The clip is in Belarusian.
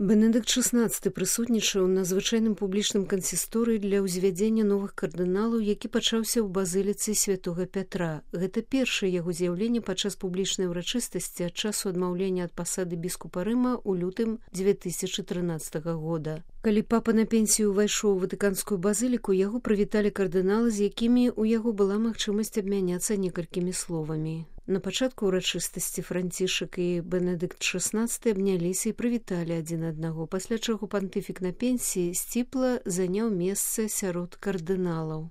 Бенедыкт XVI прысутнічаў на звычайным публічным кансісторыі для ўзвядзення новых кардыналаў, які пачаўся ў базыліцы святога Пятра. Гэта першае яго з'яўленне падчас публічнай урачыстасці ад часу адмаўлення ад пасады біскупа Рыма ў лютым 2013 года. Калі папа на пенсію ўвайшоў у ватыканскую базыліку, яго прывіталі кардыналы, з якімі ў яго была магчымасць абмяняцца некалькімі словамі. На пачатку ўрачыстасці Францішак і Бенедыкт XVI абняліся і прывіталі адзін аднаго, пасля чаго пантыфік на пенсіі сціпла заняў месца сярод кардыналаў.